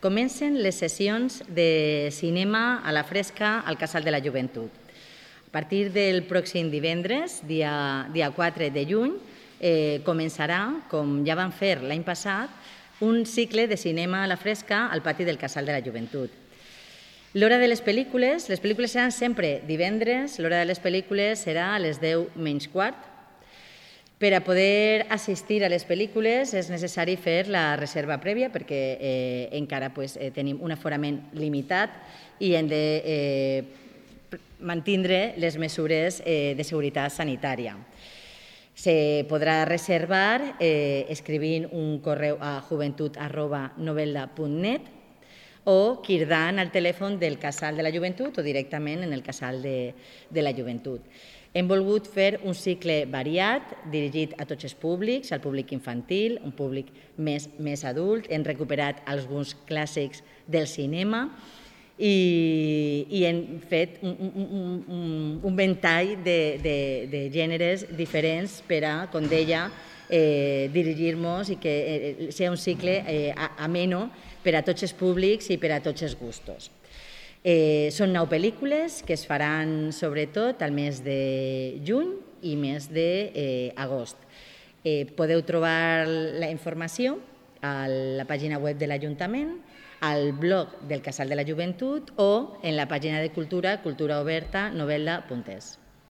Comencen les sessions de cinema a la fresca al Casal de la Joventut. A partir del pròxim divendres, dia 4 de juny, començarà, com ja vam fer l'any passat, un cicle de cinema a la fresca al pati del Casal de la Joventut. L'hora de les pel·lícules seran sempre divendres, l'hora de les pel·lícules serà a les 10 menys quart. Per a poder assistir a les pel·lícules és necessari fer la reserva prèvia perquè encara tenim un aforament limitat i hem de mantindre les mesures de seguretat sanitària. Se podrà reservar escrivint un correu a joventut@novelda.net o cridant al telèfon del Casal de la Joventut o directament en el Casal de la Joventut. Hem volgut fer un cicle variat, dirigit a tots els públics, al públic infantil, un públic més adult. Hem recuperat alguns clàssics del cinema i hem fet un ventall de gèneres diferents per a, com deia, dirigir-nos i que sigui un cicle ameno per a tots els públics i per a tots els gustos. Són 9 pel·lícules que es faran sobretot al mes de juny i mes d'agost. Podeu trobar la informació a la pàgina web de l'Ajuntament, al blog del Casal de la Joventut o en la pàgina de cultura, culturaoberta, novelda.es.